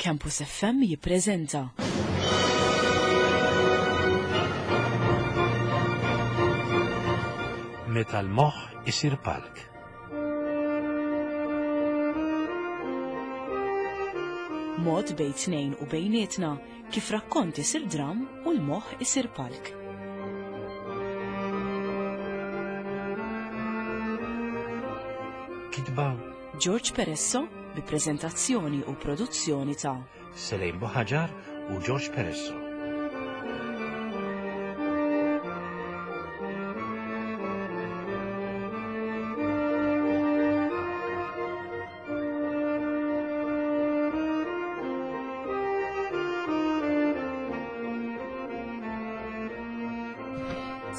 Campus FM jippreżenta. Meta l-moħħ isir palk. Mod bejn tnejn u bejnietna kif rakkont isir dram u l-moħħ isir palk. Kitba George Peresso bi preżentazzjoni u produzzjoni ta' Selejn Buħaġar u George Peresso.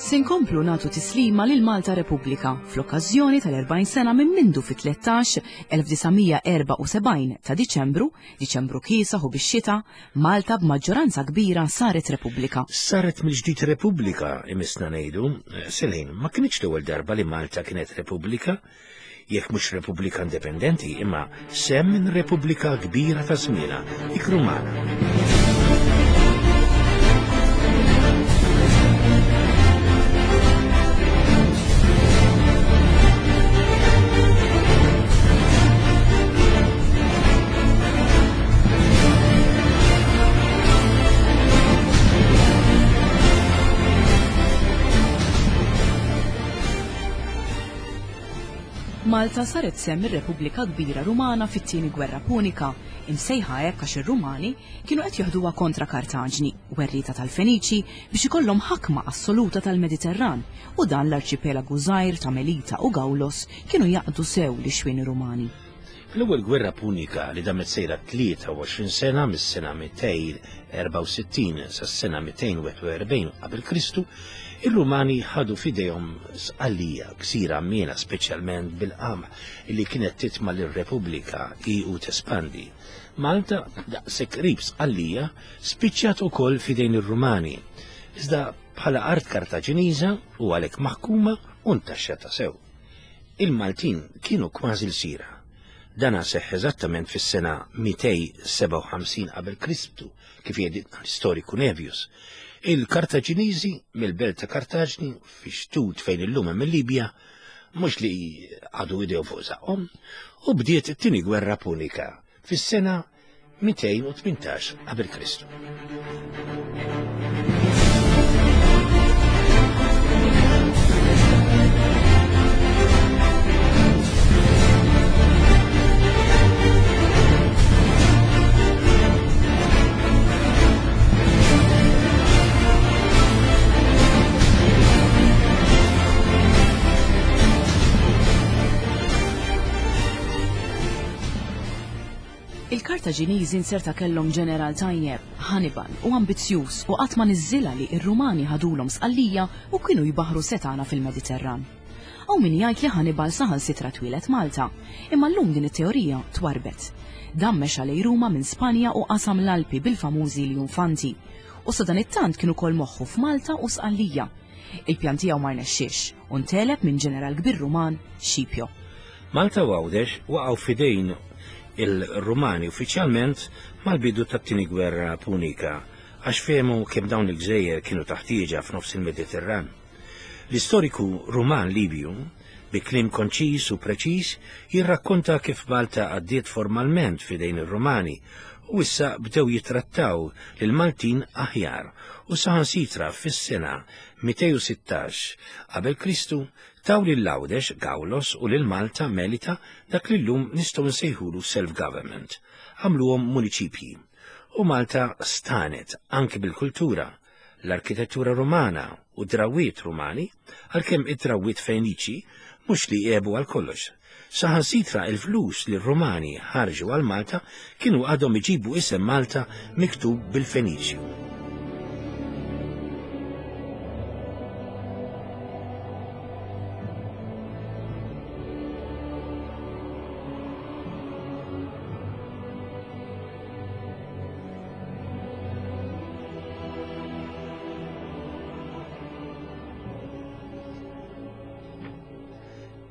Se nkomplu nagħtu tislima lil Malta Repubblika fl-okkażjoni tal-40 sena minn mindu fit-13 1974 ta' Diċembru, Diċembru kiesaħ u bix-xita, Malta b'maġġoranza kbira saret Repubblika. Saret mill-ġdid Repubblika, imissna ngħidu. Selin, ma kinitx l-ewwel darba li Malta kienet Repubblika, jekk mhux Repubblika indipendenti, imma sehem minn Repubblika kbira ta' żmienha, dik Rumana. Malta saret sehem mir-Repubblika Kbira Rumana fit-Tieni Gwerra Punika, imsejħa hekk għax ir-Rumani kienu qed joħduha kontra Kartaġni, werrieta tal-Feniċi, biex ikollhom ħakma assoluta tal-Mediterran, u dan l-arċipelagu żgħir ta' Melita u Gaulos kienu jaqdu sew lix-xwieni Rumani. Fl-Ewwel Gwerra Punika li damet sejra 23 sena mis-sena 264 sas-sena 241 qabel Kristu, ir-Rumani ħadu f'idejhom Sqallija, gżira għammiela speċjalment bil-qamħ li kienet titma' lir-Repubblika hi u tespandi. Malta, daqshekk qrib Sqallija, spiċċat ukoll f'idejn ir-Rumani, iżda bħala art Kartaġiniża u għalhekk maħkuma u ntaxxata sew. Il-Maltin kienu kważi lsira. Dana seħħ eżattament fis-sena 257 qabel Kristu, kif jgħidilna l-istoriku Nevius. Il-Kartaġiniżi mill-belt ta' Kartaġni fi xtut fejn illum hemm il-Libja, mhux li qagħdu idejhom fuq żaqqhom, u bdiet it-Tieni Gwerra Punika fis-sena 218 qabel Kristu. Il-Kartaġiniżi nserta kellhom ġeneral tajjeb, Hannibal, u ambizzjuż u qatt ma niżżilha li r-Rumani ħadulhom Sqallija u kienu jbaħħru setgħana fil-Mediterran. Hawn min jgħid li Hannibal saħansitra twieled Malta, imma llum din it-teorija twarrbet. Dan mexa lejn Ruma minn Spanja u qasam l-Alpi bil-famużi Ljunfanti. U sadanittant kien ukoll moħħu f'Malta u Sqallija. Il-pjan tiegħu ma rnexxiex u ntegħleb minn ġeneral kbir Ruman, Scipio. Malta u Għawdex waqgħu f'idejn il-Rumani uffiċjalment mal-bidu tat-Tieni Gwerra Punika għax fehmu kemm dawn il-gżejjer kienu ta' ħtieġa f'nofs il-Mediterran. L-istoriku Ruman Libju, bi kliem konċiż u preċiż, jirrakkonta kif Malta għaddiet formalment f'idejn ir-Rumani u issa bdew jittrattaw lill-Maltin aħjar u saħansitra fis-sena 216 qabel Kristu taw lil Għawdex, Gawlos, u lil Malta, Melita, dak li llum nistgħu nsejħulu self-government. Għamluhom muniċipji. U Malta stagħnet anki bil-kultura, l-arkitettura Rumana u d-drawwiet Rumani, għalkemm id-drawwiet Feniċi mhux li għebu għal kollox. Saħansitra il-flus li r-Rumani ħarġu għal Malta kienu għadhom iġibu isem Malta miktub bil-Feniċju.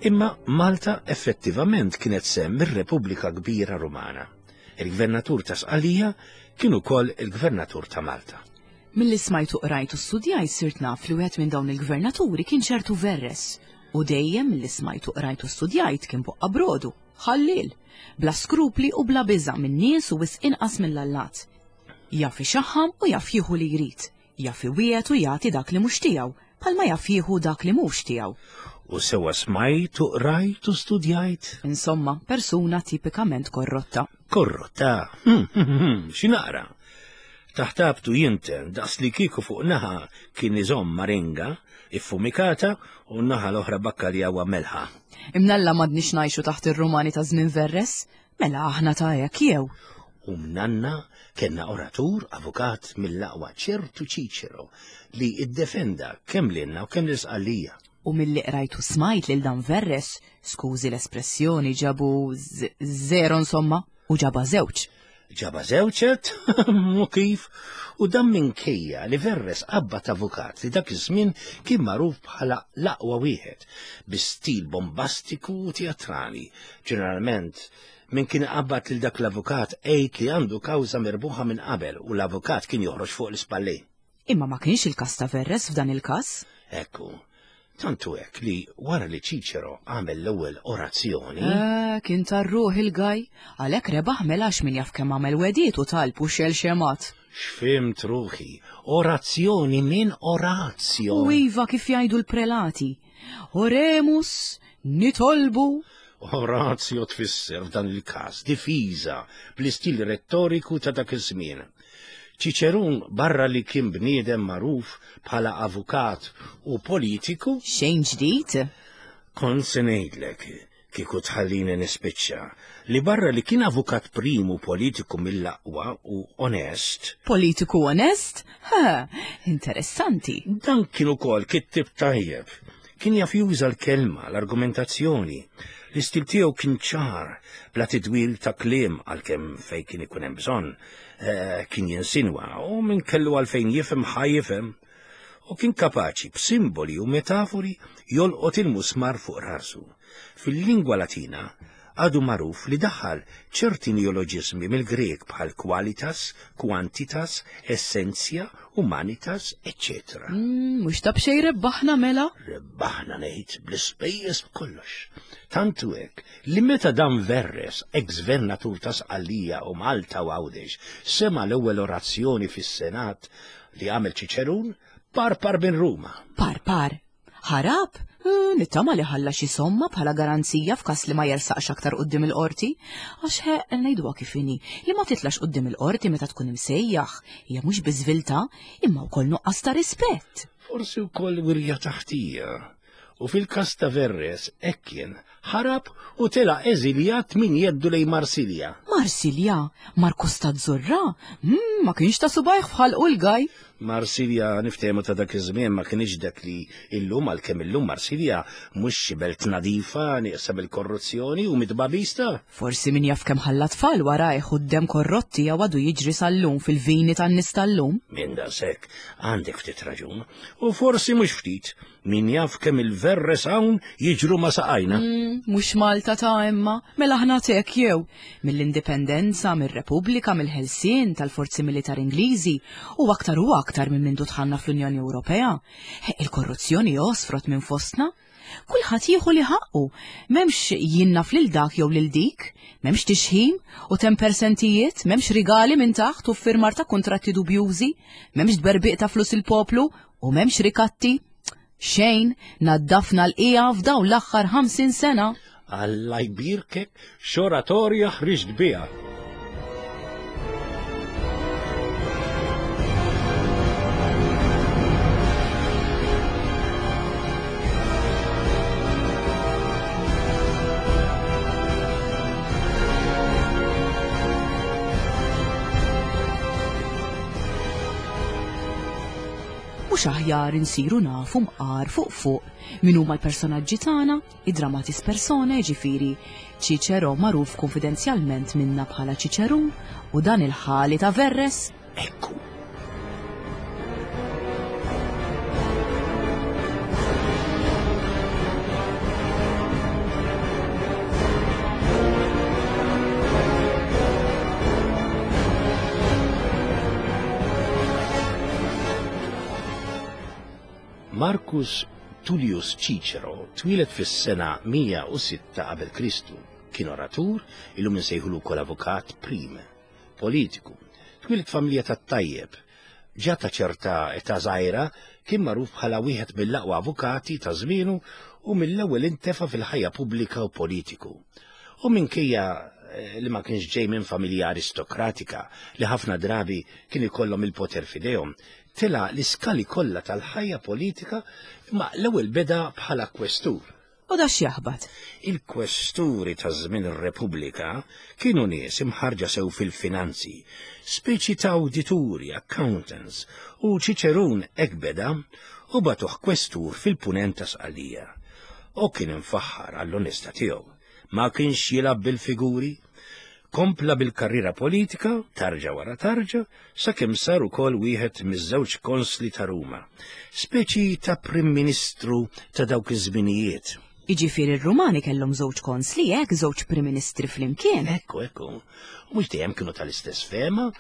Imma Malta effettivament kienet sehem mir-Repubblika Kbira Rumana. Il-gvernatur ta' Sqallija kien ukoll il-gvernatur ta' Malta. Milli smajt u qrajt u studjajt sirt naf li wieħed minn dawn il-gvernaturi kien ċertu Verres. U dejjem milli smajt u qrajt u studjajt kien boqqa brodu, ħalliel, bla skrupli u bla biża' min-nies u wisq inqas mill-allat. Jaf ixaħħam u jaf jieħu li jrid, jaf iwiegħed u jagħti dak li mhux tiegħu, bħalma jaf jieħu dak li mhux tiegħu. U sewwa smajt u qrajt u studjajt. Insomma, persuna tipikament korrotta. Korrotta? Xi naqra. Taħt abtu jinten daqs li kieku fuq naħa kien iżomm maringa iffumikata u n-naħa l-oħra bakkaljawa melħa. Imnalla m'għadniex ngħixu taħt ir-Rumani ta' żmien Verres, mela aħna ta' hekk jew. U mnanna kellna oratur, avukat mill-aqwa ċertu Ċiċero li iddefenda kemm lilna u kemm lil Sqallija. U milli qrajt u smajt lil dan Verres, skużi l-espressjoni, ġabu zero insomma, u ġaba żewġ. Ġaba żewġet, u kif? U dan minkejja li Verres qabbad avukat li dak iż-żmien kien magħruf bħala l-aqwa wieħed, bi stil bombastiku u teatrali. Ġeneralment, min kien iqabbad lil dak l-avukat għid li għandu kawża mirbuħa minn qabel u l-avukat kien joħroġ fuq l-ispallejn. Imma ma kienx il-każ ta' Verres f'dan il-każ. Ekku. Tant hu hekk li wara li Ċiċero għamel l-ewwel orazzjoni. Eh, kien tar-ruħ il-gaj, għalhekk rebaħ mela għax min jaf kemm għamel wegħdiet u talb u xel xemat. X'fhimt ruħi, orazzjoni minn Orazio. U iva kif jgħidu l-prelati. Oremus, nitolbu. Orazio tfisser f'dan il-każ difiża bl-istil rettoriku ta' dak iż-żmien. Ċiċerun barra li kien bniedem magħruf bħala avukat u politiku. Xejn ġdid? Kont se ngħidlek, kieku tħallini nispiċċa, li barra li kien avukat prim u politiku mill-aqwa u onest. Politiku onest? Ha, interessanti. Dan kien ukoll kittieb tajjeb. Kien jaf juża l-kelma, l-argumentazzjoni. L-istil tiegħu kien ċar, bla tidwil ta' kliem għalkemm fejn kien ikun hemm bżonn. Eh, kien jinsinwa u min kellu għalfejn jifhem ħa jifhem. U kien kapaċi b'simboli u metafori jolqot il-musmar fuq rasu. Fil-lingwa Latina għadu magħruf li daħal ċerti neoloġiżmi mill-Grek bħal qualitas, quantitas, essentia, humanitas, eċċetera. Mm, mhux ta' b'xejn rebbaħna mela? Rebbaħna ngħid bl-ispejjeż b'kollox. Tant hu hekk li meta dan Verres, ex-gvernatur ta' Sqallija u Malta u Għawdex, sema' l-ewwel orazzjoni fis-Senat li għamel Ċiċerun, parpar minn Ruma. Parpar? Ħarab? Eh, nittama li ħalla xi somma bħala garanzija f'każ li ma jersaqx aktar quddiem il-qorti. Għax ħeq ngħiduha kif inhi, li ma titlax quddiem il-qorti meta tkun imsejjaħ, hija mhux biss viltà, imma wkoll nuqqas ta' rispett. Forsi wkoll wirja taħtija. U fil-każ ta' Verres hekk kien, ħarab u telaq eżiljat minn jeddu lejn Marsilja. Marsilja? Mar Costa Azzurra? Mm, ma kienx ta' subajh f'ħalqu l-gaj. Marsilja niftehmu ta' dak iż-żmien ma kienx dak li illum għalkemm illum Marsilja mhux xi belt nadifa nieqsa mill-korruzzjoni u mit-tbagħbis ta'. Forsi min jaf kemm ħalla tfal warajh u d-demm korrott tiegħu għadu jiġri sal-lum fil-vini tan-nies tal-lum. Minn daqshekk għandek ftit raġun u forsi mhux ftit. Min jaf kemm il-verres hawn jiġru ma' saqajna. Mm, mhux Malta ta' imma, mela aħna tek jew. Mill-indipendenza, mir-Repubblika, mill-ħelsien tal-forzi militari Ingliżi u aktar u aktar minn mindu dħalna fl-Unjoni Ewropea. Il-korruzzjoni għosfrot minn fostna. Kulħadd jieħu li ħaqqu, m'hemmx jien naf lil dak jew lil dik, m'hemmx tixħim u tempersentijiet, m'hemmx rigali minn taħt u ffirmar ta' kuntratti dubjużi, m'hemmx tberbiq ta' flus il-poplu U m'hemmx rikatti? Xejn, naddafna l-qiegħa f'dawn l-aħħar 50 sena. Alla jbierkek, x'oratorja ħriġt biha! Mhux aħjar insiru nafu mqar fuq fuq min huma l-personaġġi tagħna, id-dramatis personae, ġifieri Ċiċero magħruf kunfidenzjalment minna bħala Ċiċerun u dan il-ħali ta' Verres? Ekku. Marcus Tullius Cicero twieled fis-sena 106 qabel Kristu. Kien oratur, illum insejħulu wkoll avukat prim, politiku. Twieled familja tat-tajjeb. Ġa ta' ċerta età żgħira kien magħruf bħala wieħed mill-aqwa avukati ta' żmienu u mill-ewwel intefa' fil-ħajja pubblika u politiku. U minkejja eh, li ma kienx ġej minn familja aristokratika li ħafna drabi kien ikollhom il-poter f'idejhom, tela' l-iskali kollha tal-ħajja politika imma l-ewwel beda bħala kwestur. U da x'jaħbat? Il-kwesturi ta' żmien ir-Repubblika kienu nies imħarġa sew fil-finanzi, speċi ta' awdituri, accountants, u Ċiċerun hekk beda u bagħtuh kwestur fil-Punent ta' Sqallija. U kien imfaħħar għall-onestà tiegħu. Ma kienx jilgħab bil-figuri. Kompla bil-karriera politika, tarġa wara tarġa, sakemm sar ukoll wieħed miż-żewġ konsli ta' Ruma, speċi ta' Prim Ministru ta' dawk iż-żminijiet. Jiġifieri r-Rumani kellhom żewġ konsli hekk, żewġ Prim Ministri flimkien. Ekku, ekku. U mhux dejjem kienu tal-istess fehma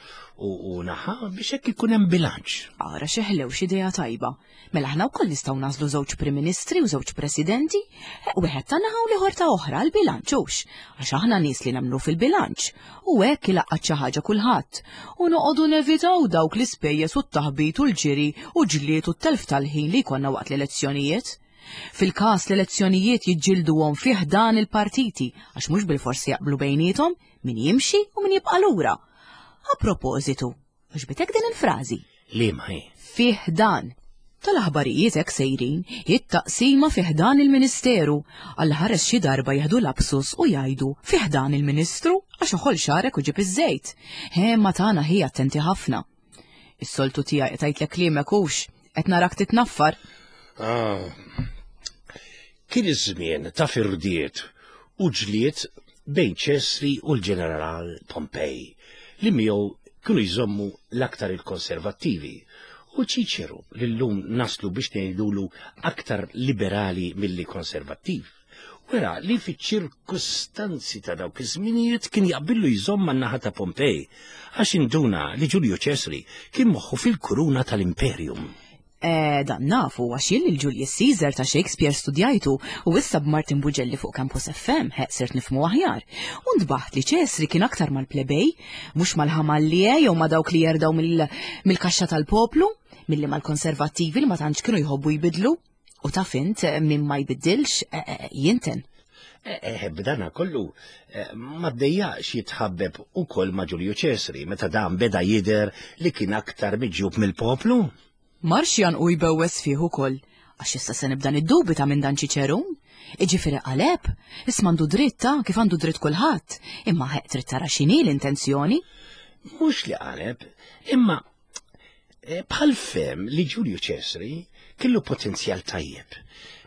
u naħa biex hekk ikun hemm bilanċ. Ara xi ħlew x'idea tajba. Mela aħna wkoll nistgħu nagħżlu żewġ Prim Ministri u żewġ Presidenti, eh, wieħed ta' naħa u l-ieħor ta' oħra għall-bilanċ hux, għax aħna nies li nemmnu fil-bilanċ. U hekk ilaqqat xi ħaġa kulħadd. U noqogħdu nevitaw dawk l-ispejjeż u t-taħbit u l-ġiri u ġlied u t-telf tal-ħin li jkollna waqt l-elezzjonijiet. Fil-każ l-elezzjonijiet jiġġilduhom fih dan il-partiti għax mhux bilforsi jaqblu bejniethom min jimxi u min jibqa' lura. A propożitu, Għoġbitek din il-frażi? Liema hi? Fih dan. Tal-aħbarijiet hekk sejrin, it-taqsima fih dan il-Ministeru. Alla ħares xi darba jieħdu lapsus u jgħidu fih dan il-Ministru għax oħol xagħrek u ġib iż-żejt. He ma tagħna hi attenti ħafna. Is-soltu tiegħi qed tgħidlek kliemek hux, qed narak titnaffar. Ah. Kien iż-żmien ta' firdiet u ġlied bejn Ċesri u l-ġeneral Pompej, li miegħu kienu jżommu l-aktar il-konservattivi, u Ċiċeru, li llum naslu biex ngħidulu aktar liberali milli konservattiv, wera li fiċ-ċirkustanzi ta' dawk iż-żminijiet kien jaqbillu jżomm man-naħa ta' Pompej, għax induna li Ġulju Ċesri kien moħħu fil-kuruna tal-Imperium. Eh, dan nafu għax jien lil Julius Caesar ta' Shakespeare studjajtu u issa b'Martin Bugelli fuq Campus FM ħeq sirt nifhmu aħjar. U ntbaħt li Ċesri kien aktar mal-plebej, mhux mal-ħamallie jew ma' dawk li jerdaw mill-kaxxa tal-poplu, milli mal-konservattivi li ma tantx kienu jħobbu jbidlu. U taf int min ma jbiddilx eh, eh, jinten. Eh, b'dana kollu ma ddejjaqx jitħabbeb ukoll ma' Ġulju Ċesri meta dan beda jidher li kien aktar miġjub mill-poplu. Marx janqu jbewwes fih ukoll, għax issa se nibda niddubita minn dan Ċiċerun. Iġifieri qaleb, isma' għandu dritt ta' kif għandu dritt kulħadd, imma ħeq trid tara x'inhi l-intenzjoni. Mhux li qaleb, imma eh, bħal fem li Ġulju Ċesri kellu potenzjal tajjeb.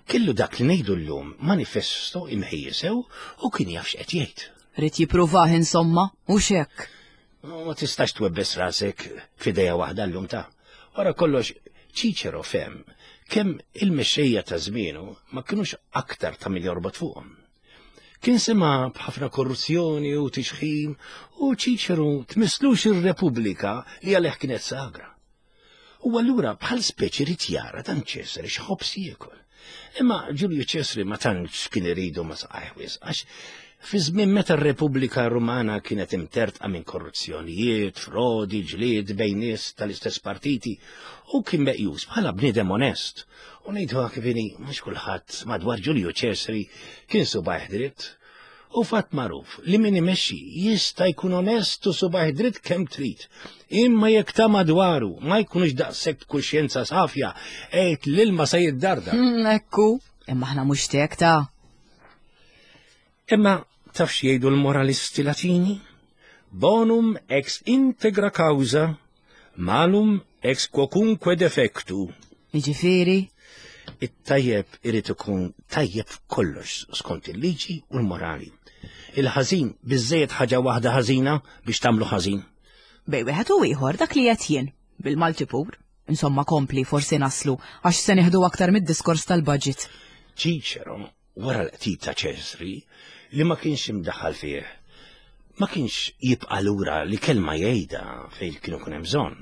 Kellu dak li ngħidu llum manifesto imħejji sew u kien jaf x'qed jgħid. Rid jippruvah insomma, u hekk. Ma tistax twebbes rasek f'ideja waħda llum ta'. Wara kollox Cicero fehem kemm il-mexxejja ta' żmienu ma kinux aktar ta' min jorbot fuqhom. Kien sema' b'ħafna korruzzjoni u tixħim u Cicero tmisslux ir-Repubblika li għalih kienet sagra. U allura bħal speċi rid jara dan Ċesari x'ħobż jiekol. Imma Ġulju Ċesri ma tantx kien iridu ma saqajh wisq għax fi żmien meta r-Repubblika Rumana kienet imtertqa minn korruzzjonijiet, frodi, ġlied bejn nies tal-istess partiti, u kien meqjus bħala bniedem onest. U ngħiduha kif inhi, mhux kulħadd madwar Ġulju Ċesri kien subajh dritt. U fatt magħruf li min imexxi jista' jkun onest u subajh dritt kemm trid. Imma jekk ta' madwaru ma jkunux daqshekk b'kuxjenza safja, għid l-ilma se jiddarda. Mm, ekku, imma aħna mhux tek ta' Imma taf x'jgħidu l-moralisti Latini? Bonum ex integra causa Malum ex quocunque defectu. Jiġifieri? It-tajjeb irid ikun tajjeb f'kollox skont il-liġi u l-morali. Il-ħażin biżżejjed ħaġa waħda ħażina biex tagħmlu ħażin. Bej wieħed u ieħor dak li qed jien, bil-Malti pur. Insomma kompli forsi naslu għax se nieħdu aktar mid-diskors tal-budget. Ċiċero wara l-qtil ta' Ċesri li ma kienx imdaħħal fih, ma kienx jibqa' lura li kelma jgħidha fejn kienu kun hemm bżonn.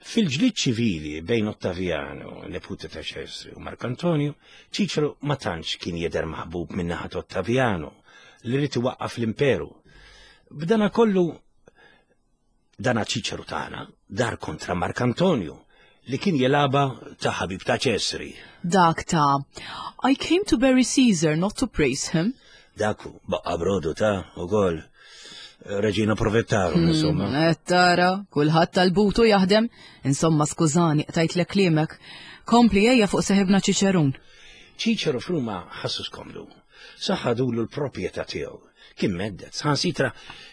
Fil-ġlied ċivili bejn Ottaviano, neputi ta' Ċesri, u Mark Antonio, Ċiċeru ma tantx kien jidher maħbub minn naħa Ottaviano li ried iwaqqaf l-imperu. B'dana kollu dana Ċiċeru tagħna dar kontra Mark Antonio li kien jilgħabha ta' ħabib ta' Ċesri. Dak ta' I came to bury Caesar not to praise him. Dak baqa' brodu ta' ukoll. Reġina provettaru, hmm, insomma. Qed tara, kulħadd tal-butu jaħdem. Insomma, skużani, qtajtlek kliemek. Kompli ejja fuq seħibna Ċiċerun. Ċiċeru f'Ruma ħassu skomdu. Saħadulu l-proprjetà tiegħu. Kien meddet, saħansitra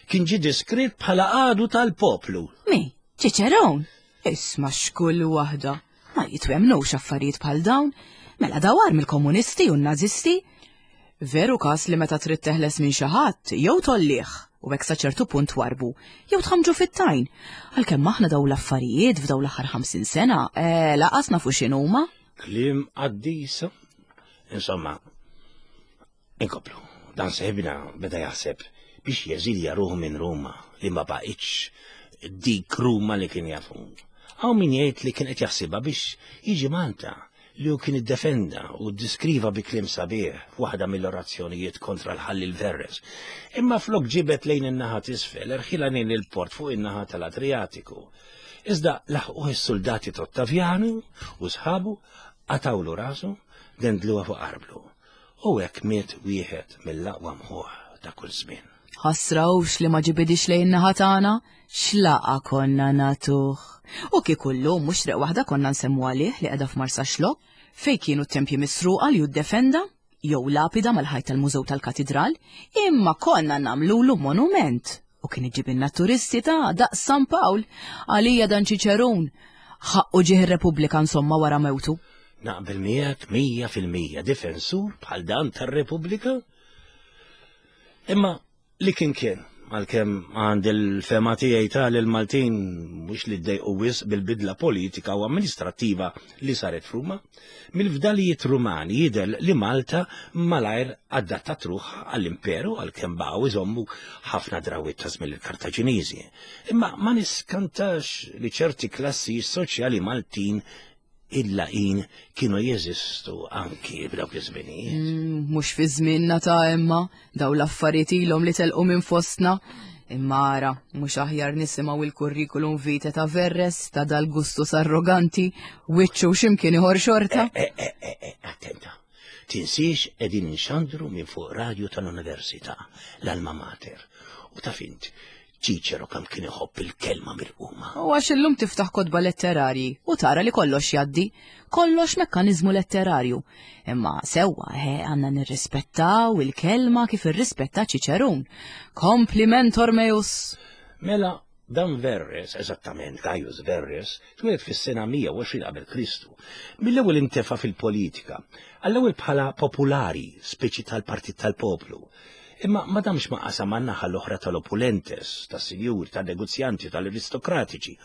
kien ġie diskrit bħala għadu tal-poplu. Mi, Ċiċerun? Isma' x'kull waħda. Ma jitwemnux affarijiet bħal dawn. Mela dawar mill-komunisti u n-nazisti. Veru każ li meta trid teħles minn xi ħadd, jew tgħollih, u hekk sa ċertu punt twarrbu, jew tħammġu fit-tajn. Għalkemm aħna dawn l-affarijiet f'dawn l-aħħar 50 sena, eh, laqas nafu x'inhuma. Kliem qaddisa. Insomma, inkomplu. Dan seħibna beda jaħseb biex jeżilja ruħu minn Ruma li ma baqitx dik Ruma li kien jafu. Hawn min jgħid li kien qed jaħsibha biex jiġi Malta li hu kien iddefenda u ddiskriva bi kliem sabiħ f'waħda mill-orazzjonijiet kontra l-ħalliel Verres. Imma flok ġibed lejn in-naħa t'isfel, erħilha lejn il-port fuq in-naħa tal-Adrijatiku. Iżda laħquh is-suldati t'Ottavjanu u sħabu, qatgħulu rasu, dendluha fuq arblu. U hekk miet wieħed mill-aqwa mħuħ ta' kull żmien. Ħasra hux li ma ġibidix lejn naħa tagħna, x'laqa konna nagħtuh. U kieku llum mhux triq waħda konna nsemmu għalih li qeda f'Marsaxlokk, fejn kienu t-tempji misruqa li hu ddefenda, jew lapida mal-ħajt tal-mużew tal-katidral, imma konna nagħmlulu monument. U kien iġibilna turisti ta' daqs San Pawl, għalija dan Ċiċerun. Ħaqqu ġieħ ir-Repubblika insomma wara mewtu. Naqbel miegħek 100% difensur bħal dan tar-Repubblika. Imma li kien kien, għalkemm għand il-fema tiegħi ta' li l-Maltin mhux li ddejqu wisq bil-bidla politika u amministrattiva li saret f'Ruma, mill-fdalijiet Rumani jidher li Malta malajr adattat ruħha għall-imperu għalkemm baqgħu iżommu ħafna drawwiet ta' żmien il-Kartaġiniżi. Imma ma niskantax li ċerti klassi soċjali Maltin il-laqin kienu jeżistu anki f'dawk iż-żminijiet. Mm, mhux fi żmienna ta' imma daw l-affarijiet ilhom li telqu minn fostna. Imma ara, mhux aħjar nisimgħu il-kurrikulum vitae ta' Verres ta' dal-gustus arroganti, wiċċu x'imkien ieħor xorta. Eh, eh, eh, attenta. Tinsiex qegħdin inxandru minn fuq radju tal-Università, l-Alma Mater. U taf int, Ċiċero kemm kien iħobb il-kelma mirquma. U għax illum tiftaħ kotba letterarji u tara li kollox jgħaddi, kollox mekkaniżmu letterarju. Imma sewwa, eh, għandna nirrispettaw il-kelma kif irrispetta Ċiċerun. Kompliment meus! Mela, dan Verres, eżattament Gaius Verres, twieled fis-sena 120 qabel Kristu. Mill-ewwel intefa' fil-politika, għall-ewwel bħala populari, speċi tal-Partit tal-Poplu. Imma ma damx ma qasam man-naħa l-oħra tal-opulentes, tas-sinjuri, tan-negozjanti, tal-aristokratiċi,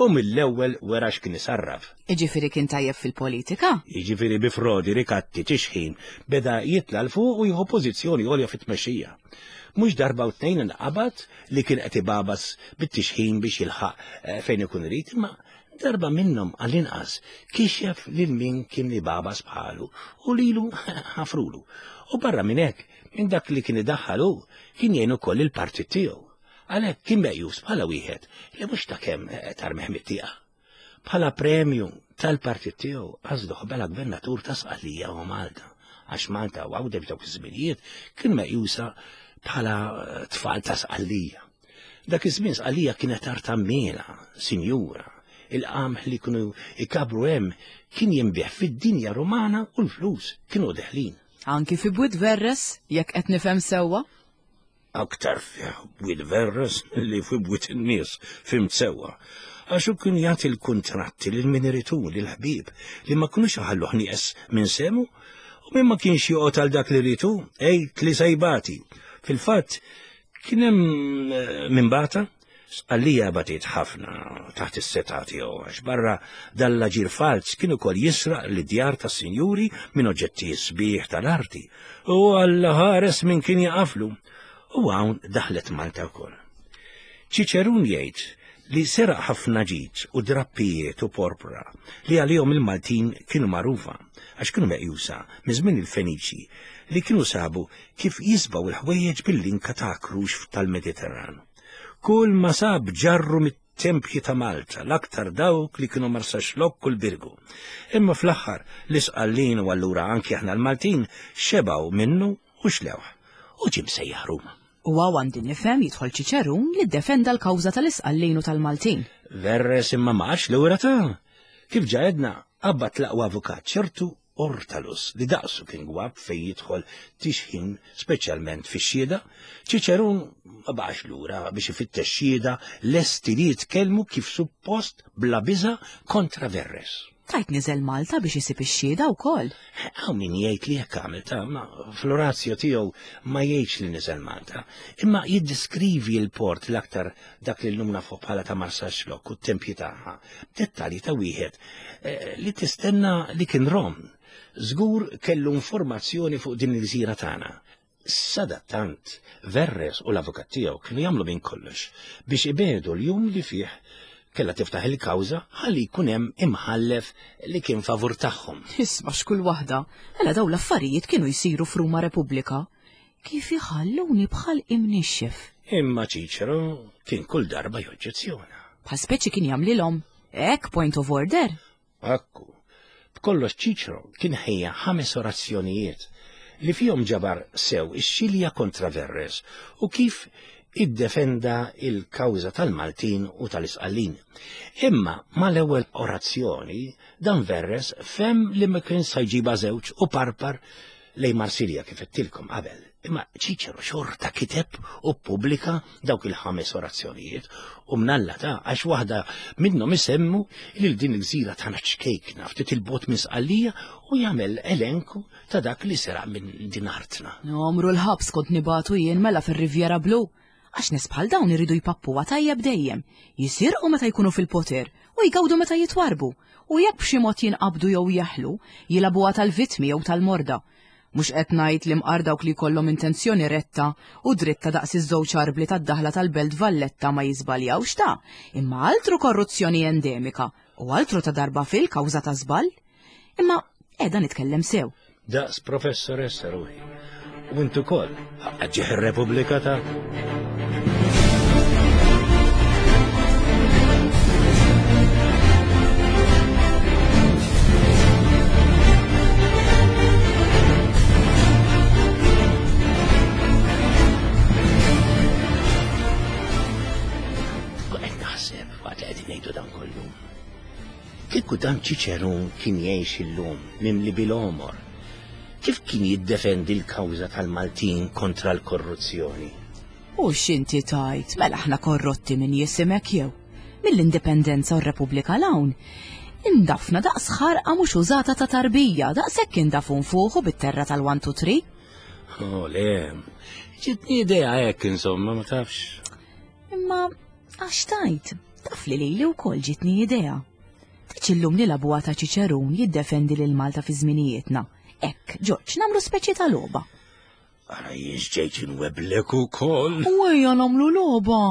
u mill-ewwel wera x'kien isarraf. Jiġifieri kien tajjeb fil-politika? Jiġifieri bi frodi, rikatti, tixħim, beda jitla' 'l fuq u jieħu pożizzjoni għolja fit-tmexxija. Mhux darba u tnejn inqabad li kien qed ibagħbas bit-tixħim biex jilħaq eh, fejn ikun irid, imma darba minnhom għall-inqas kixef lil min kien ibagħbas bħalu u lilu ħafrulu. U barra minn hekk, minn dak li kien idaħħal hu, kien jgħin ukoll il-partit tiegħu. Għalhekk kien meqjus bħala wieħed li mhux ta' kemm eh, tarmeħ mit-tieqa. Bħala premju tal-partit tiegħu għażluh bħala gvernatur ta' Sqallija u Malta, għax Malta u Għawdex f'dawk iż-żminijiet kien meqjusa bħala eh, tfal ta' Sqallija. Dak iż-żmien Sqallija kienet art għammiela, sinjura. Il-qamħ li kienu ikabru hemm kien jinbiegħ fid-dinja Rumana u l-flus kienu deħlin. Anki fi Bwiet Verres, jekk qed nifhem sewwa? Aktar fi Bwiet Verres li fi bwiet in-nies, fhimt sewwa. Għax hu kien jagħti l-kuntratti lil min irid hu, lill-ħbieb, li ma kinux iħalluh nieqes minn sehmu, u min ma kienx joqgħod għal dak li ried hu, għid li se jbati. Fil-fatt, Kien hemm eh, min bata, Sqallija batiet ħafna taħt is-setgħa tiegħu għax barra dal-aġir falz kien ukoll jisraq lid-djar tas-sinjuri minn oġġetti sbieħ tal-arti u Alla ħares min kien jaqaflu. U hawn daħlet Malta wkoll. Ċiċerun jgħid li seraq ħafna ġid u drappijiet u porpra li għalihom il-Maltin kienu magħrufa għax kienu meqjusa minn żmien il-Feniċi li kienu sabu kif jisbgħu l-ħwejjeġ bil-linka ta' krux tal-Mediterran. Kull ma sab ġarru mit-tempji ta' Malta, l-aktar dawk li kienu Marsaxlokk u l-Birgu. Imma fl-aħħar l-Isqallin u allura anki aħna l-Maltin xebgħu minnu u xlewh u ġie msejjaħ Ruma. U hawn għandi nifhem jidħol Ċiċerun li ddefenda l-kawża tal-Isqallin u tal-Maltin. Verres imma ma qatx lura ta'. Kif ġa għedna, qabbad l-aqwa avukat ċertu Ortalus li daqsu kien gwapp fejn jidħol tixħim speċjalment fix-xhieda, Ċiċerun ma baqax lura biex ifittex xhieda lesti li jitkellmu kif suppost bla biża' kontra Verres. Tajt niżel Malta biex isib ix-xhieda wkoll. Hawn min jgħid li hekk għamel ta' ma fl-orazio tiegħu ma jgħidx li niżel Malta, imma jiddiskrivi l-port l-aktar dak li llum nafuh bħala ta' Marsaxlokk u t-tempji tagħha, b'dettalji ta' wieħed eh, li tistenna li kien Rom. Żgur kellu informazzjoni fuq din il-gżira tagħna. Sadattant, Verres u l-avukat tiegħu kienu jagħmlu minn kollox biex ibiegħdu l-jum li fih kellha tiftaħ il-kawża ħalli jkun hemm imħallef li kien favur tagħhom. Isma' x'kull waħda, mela dawn l-affarijiet kienu jsiru f'Ruma Repubblika. Kif iħalluni bħal imnixxef. Imma Ċiċero kien kull darba joġġezzjona. Bħal speċi kien jagħmlilhom hekk point of order. Ekku. B'kollox Ċiċro kien ħejja ħames orazzjonijiet li fihom ġabar sew ix-xilja kontra Verres u kif iddefenda il-kawża tal-Maltin u tal-Isqallin. Imma mal-ewwel orazzjoni dan Verres fehem li ma kien sa jġibha żewġ u parpar lejn Marsilja kif għedtilkom qabel. Imma Ċiċero xorta kiteb u ppubblika dawk il-ħames orazzjonijiet u mnalla ta' għax waħda minnhom isemmu lil din il-gżira tagħna ċkejkna ftit il-bot minn Sqallija u jagħmel elenku ta' dak li seraq minn din artna. Għomru l-ħabs kont nibatu jien mela fir-Riviera Blu. Għax nies bħal dawn iridu jpappuha tajjeb dejjem, jisirqu meta jkunu fil-poter u jgawdu meta jitwarrbu, u jekk b'xi mod jinqabdu jew jeħlu, jilagħbuha tal-vittmi jew tal-morda. Mhux qed ngħid li mqar dawk li jkollhom intenzjoni retta u dritta daqs iż-żewġ arbli tad-daħla tal-Belt Valletta ma jiżbaljawx ta, imma altru korruzzjoni endemika u altru ta' darba fil kawża ta' żball. Imma qiegħda nitkellem sew. Daqs professoressa ruħi. U int ukoll, ħaqqa ġieħ ir-Repubblika ta' Qed naħseb waqt li qegħdin ngħidu dan kollu. Kieku dan Ċiċerun kien jgħix illum mimli bil-għomor, kif kien jiddefendi l-kawża tal-Maltin kontra l-korruzzjoni? U x'inti tgħid, mela aħna korrotti minn jisimek jew? Mill-Indipendenza u r-Repubblika 'l hawn, indafna daqs ħarqa mhux użata ta' tarbija, daqshekk indafu nfuħu bit-terra tal-one two three. Oh le, ġietni idea hekk insomma, ma tafx. Imma għax tgħid, Taf li lili wkoll ġietni idea. Tiġ illum nilagħbuha ta' Ċiċerun jiddefendi lil Malta fi żminijietna. Hekk, Ġorġ, nagħmlu speċi ta' logħba. Ara jien ġejt inweblek ukoll. U ejja nagħmlu logħba.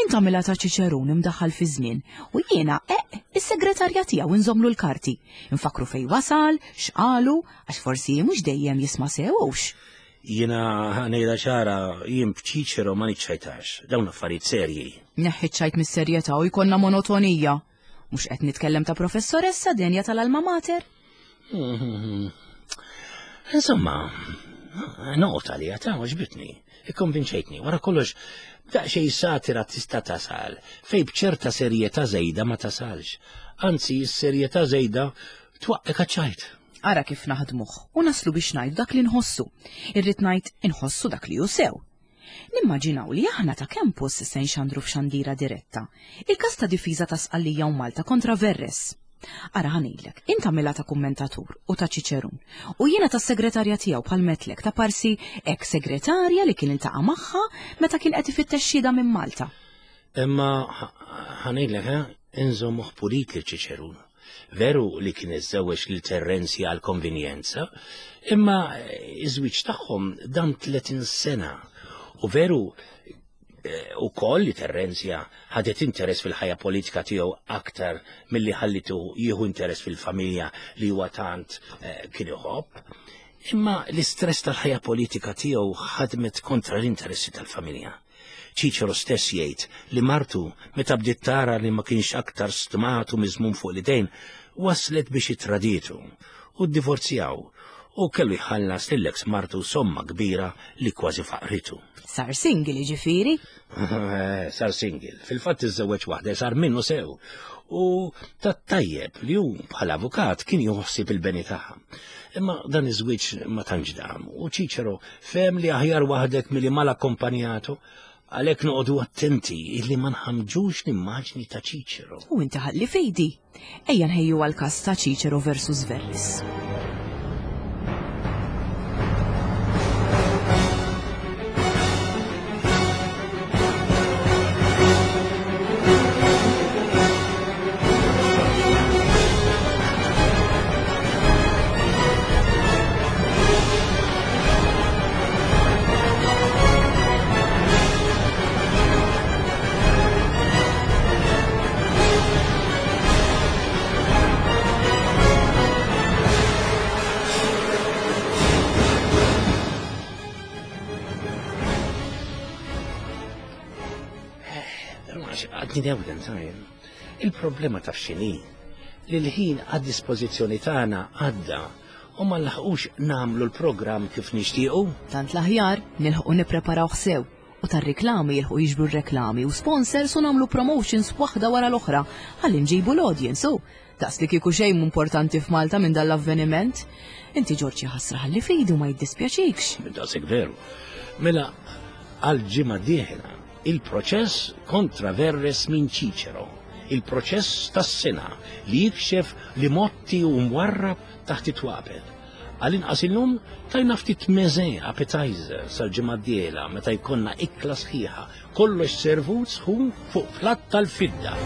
Int tagħmilha ta' Ċiċerun imdaħħal fi żmien u jiena eq is-segretarja tiegħu nżommlu l-karti. Infakkru fejn wasal, x'qalu, għax forsi mhux dejjem jisma' sew hux. Jiena ngħidha ċara, jien b'Ċiċero ma niċċajtax, dawn affarijiet serji. Neħħi ċ-ċajt mis-serjetà u jkollna monotonija. Mhux qed nitkellem ta' professoressa denja tal-alma mater? Insomma, noqgħod għaliha ta' għoġbitni, ikkonvinċejtni, wara kollox daqsxejn satira tista' tasal fejn b'ċerta serjetà żejda ma tasalx. Anzi, s-serjetà żejda twaqqek għaċ-ċajt. Ara kif naħdmuh u naslu biex ngħidu dak li nħossu. Irrid ngħid inħossu dak li hu sew. Nimmaġinaw li aħna ta' Campus se nxandru f'xandira diretta il-każ ta' difiża ta' Sqallija u Malta kontra Verres. Ara ħa ngħidlek, int agħmilha ta' kummentatur u ta' ċiċerun u jiena tas-segretarja tiegħu bħal metlek ta' parsi ex segretarja li kien iltaqa' magħha meta kien qed ifittex xhieda minn Malta. Imma ħa ngħidlek, eh, inżommuh pulit lil Ċiċerun. Veru li kien iżżewweġ lil Terrenzja għal konvenjenza, imma iż-żwieġ tagħhom dam 30 sena. U veru eh, ukoll li Terrenzja ħadet interess fil-ħajja politika tiegħu aktar milli ħallitu jieħu interess fil-familja li huwa tant eh, kien iħobb. Imma l-istress tal-ħajja politika tiegħu ħadmet kontra l-interessi tal-familja. Ċiċero stess jgħid li martu meta bdiet tara li ma kienx aktar stmat u miżmum fuq l-idejn, waslet biex itradietu u ddivorzjaw u kellu jħallas lill-eks martu somma kbira li kważi faqritu. Sar single jiġifieri? Eh, sar single. Fil-fatt iżżewweġ waħda sar minnu sew. U tat-tajjeb li hu bħala avukat kien joħsib il-beni tagħha. Imma dan iż-żwieġ ma tantx dam u Ċiċero fehem li aħjar waħdek milli mal-akkompanjatu għalhekk noqogħdu attenti illi ma nħamġux l-immaġni ta' Ċiċero. U inti ħalli fidi. Ejja nħejju għall-każ ta' Cicero versus Verres. Għadni dewden, tajn. Il-problema taf x'inhi li l-ħin għad-dispożizzjoni tagħna għadda u ma nlaħqux nagħmlu l-programm kif nixtiequ. Tant l-aħjar nilħqu nippreparawh sew u tar-riklami jilħqu jiġbru r-reklami u sponsors u nagħmlu promotions waħda wara l-oħra ħalli nġibu l-audience u daqs li kieku xejn mhu importanti f'Malta minn dan l-avveniment. Inti Ġorġ jaħasra ħalli fidi u ma jiddispjaċikx. Daqshekk veru. Mela għal ġimgħa dieħla il-proċess kontra Verres minn Ċiċero, il-proċess tas-sena li jikxef li motti u mwarrab taħt it-twapet. Għal-inqas illum tajna ftit meze appetizer sal-ġimgħa d-dieħla meta jkollna ikla sħiħa, kollox servut sħun fuq platt tal-fidda.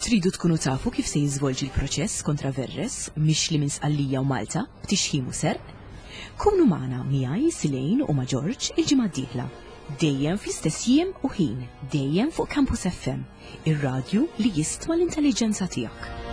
Tridu tkunu tafu kif se jiżvolġi l-proċess kontra Verres, mixli minn Sqallija u Malta, b'tixħim u serq? Kunu magħna miegħi Silejn u ma' Ġorġ il-ġimgħa d-dieħla. Dejjem fl-istess jiem u ħin, dejjem fuq Campus FM, ir-radju li jistma l-intelliġenza tiegħek.